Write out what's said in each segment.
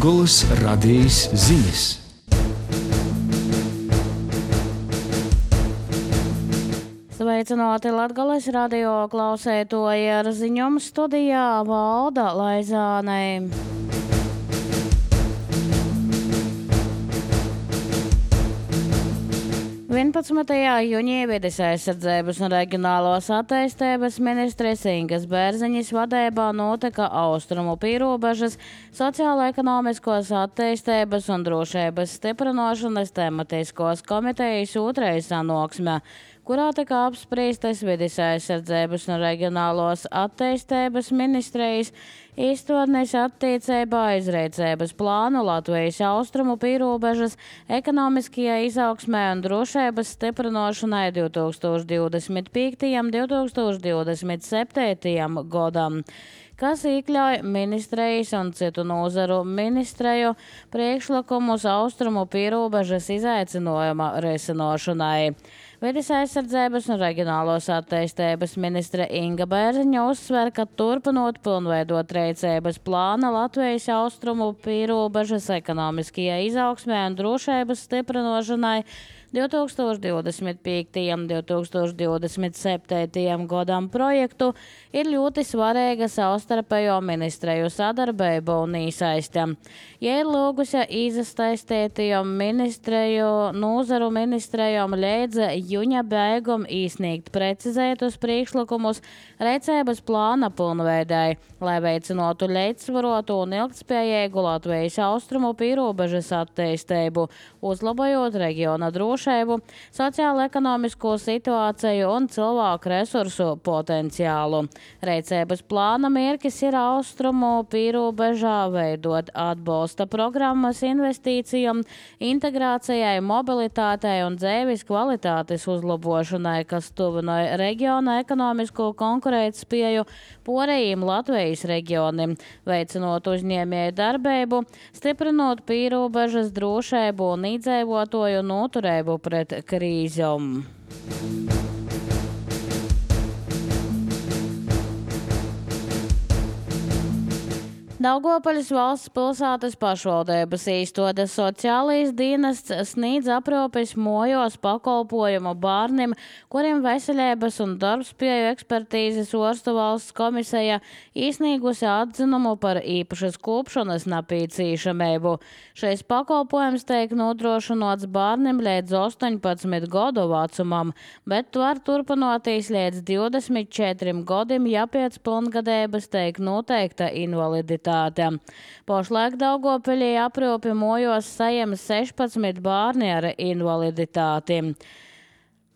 Latgoles radijas ziņas. Sveicināti Latgoles radio klausētoji, ar ziņojumu studijā Valda Laizānei. Jūnijā Vides aizsardzības un reģionālās attīstības ministres Ingas Bērziņas vadībā notika Austrumu pīrobežas sociālo-ekonomiskos attīstības un drošības stiprināšanas tematiskos komitejas otrais sanāksme, kurā tika apspriestas Vides aizsardzības un reģionālos attīstības ministrijas izstādnes attiecībā izreicības plānu Latvijas austrumu pīrobežas ekonomiskajai izaugsmē un drošības stiprināšanai 2025. un 2027. gadam, kas iekļauj ministrijas un citu nozaru ministreju priekšlikumus austrumu pīrobežas izaicinājuma risināšanai. Vides aizsardzības un reģionālos attīstības ministre Inga Bērziņa uzsver, ka turpinot pilnveidot rīcības plāna Latvijas austrumu pīrobežas ekonomiskajai izaugsmē un drošības stiprināšanai 2025. un 2027. gadam projektu ir ļoti svarīga savstarpējo ministreju sadarbība un īsaiste. Ja ir lūgusi izastaistētajām ministreju nozaru ministrejām līdz jūņa beigum īsniegt precizētus priekšlikumus rīcības plāna pilnveidai, lai veicinātu līdzsvarotu un ilgtspējīgu Latvijas austrumu pīrobežas attīstību, uzlabojot reģiona drošību, sociālo-ekonomisko situāciju un cilvēku resursu potenciālu. Rīcības plāna mērķis ir austrumu pīrobežā veidot atbalsta programmas investīcijām, integrācijai, mobilitātei un dzīves kvalitātes uzlabošanai, kas tuvināja reģiona ekonomisko konkurētspēju porējiem Latvijas reģionim, veicinot uzņēmēju darbību, stiprinot pīrobežas drošību un iedzīvotāju noturību pret krīzēm. Daugavpils valsts pilsētas pašvaldības izstādes sociālais dienests sniedz aprūpes mājās pakalpojumu bērniem, kuriem veselības un darbspēju ekspertīzes ārstu valsts komisija izsniegusi atzinumu par īpašas kopšanas nepieciešamību. Šis pakalpojums tiek nodrošināts bērniem līdz 18 gadu vecumam, bet var turpināties līdz 24 gadiem, ja pēc pilngadības tiek noteikta invaliditāte. Pašlaik Daugavpilī aprūpi mājās saņem 16 bērni ar invaliditāti.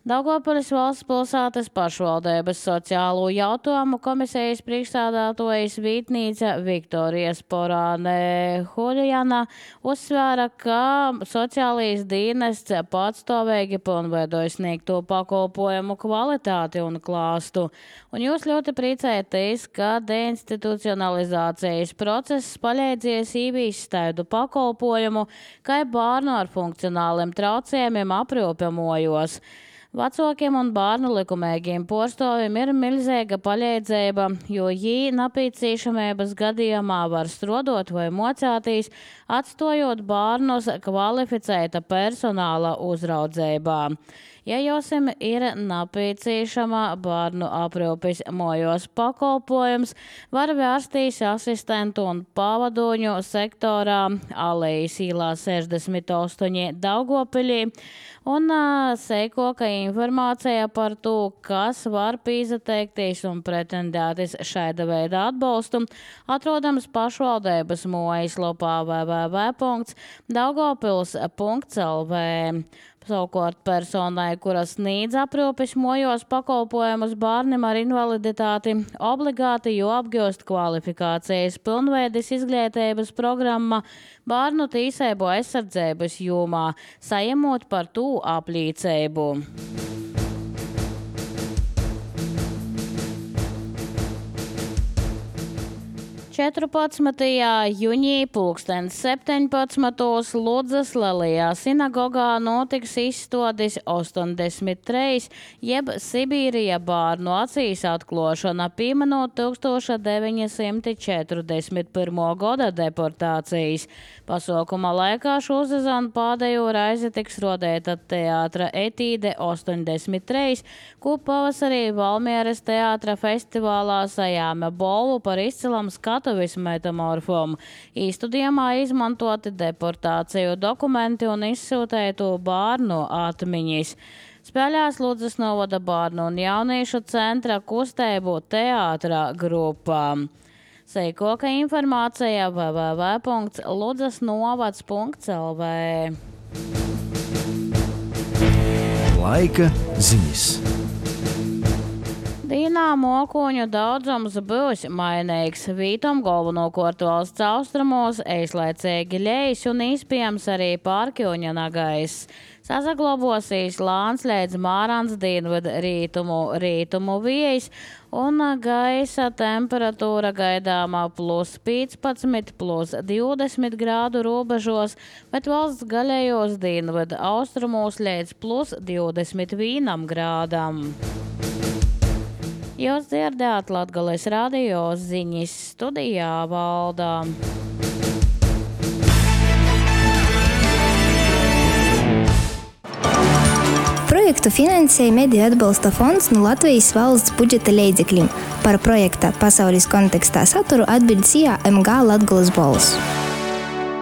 Daugavpils valsts pilsētas pašvaldības sociālo jautājumu komisijas priekšstādātojas vietnīca Viktorija Sporāne Huļjana uzsvēra, ka sociālais dienests patstāvīgi pilnveidoja sniegto pakalpojumu kvalitāti un klāstu. Un jūs ļoti priecēties, ka deinstitucionalizācijas process palīdzies īvīst tādu pakalpojumu, kā bērnu ar funkcionāliem traucējumiem aprūpi mājās. Vecākiem un bērnu likumīgiem porstoviem ir milzīga palīdzība, jo viņi nepieciešamības gadījumā var strādāt vai mocēties, atstājot bērnus kvalificēta personāla uzraudzībā. Ja jums ir nepieciešama bērnu aprūpes mājās pakalpojums, var vērsties asistentu un pavadoņu sektorā Alejas ielā 68 Daugavpilī, un sekoka informācija par to, kas var pieteikties un pretendēties šāda veida atbalstu, atrodams pašvaldības mājaslapā www.daugavpils.lv. Savukārt personai, kuras sniedz aprūpes mājās pakalpojumus bērniem ar invaliditāti, obligāti jāapgūst kvalifikācijas pilnveides izglītības programma bērnu tiesību aizsardzības jomā, saņemot par to apliecību. 14. jūņī 17. Ludzas Lielajā sinagogā notiks izstādis 83, jeb Sibīrija bārnu acīs atklošana, pieminot 1941. gada deportācijas. Pasākuma laikā šo sezonu pēdējo reizi tiks rodēta teātra etīde 83, ko pavasarī Valmieras teātra festivālā sajāma balvu par izcilam skatuves metamorfomu. Īstudījumā izmantoti deportāciju dokumenti un izsūtētu bārnu atmiņas. Spēļās Ludzas novada bārnu un jauniešu centra kustēbu teātra grupā. Seikoka informācija www.ludzasnovads.lv. Laika ziņas. Dīnā mokuņu daudzums būs mainīgs. Vītom galvenokārt valsts austrumos, eizlaicīgi ļejas un iespējams arī pārkļuņa nagais. Sasaglabosīs lāns līdz Mārans dienvidu rītumu viejas un gaisa temperatūra gaidāmā +15, +20 grādu robežos, bet valsts gaļējos dienvidu austrumos līdz +21 grādam. Jūs dzirdējāt Latgales radio ziņas, studijā Valdā. Projektu finansēja Mediju atbalsta fonds no Latvijas valsts budžeta līdzekļiem. Par projekta pasaules kontekstā saturu atbild CIA MG Latgales balss.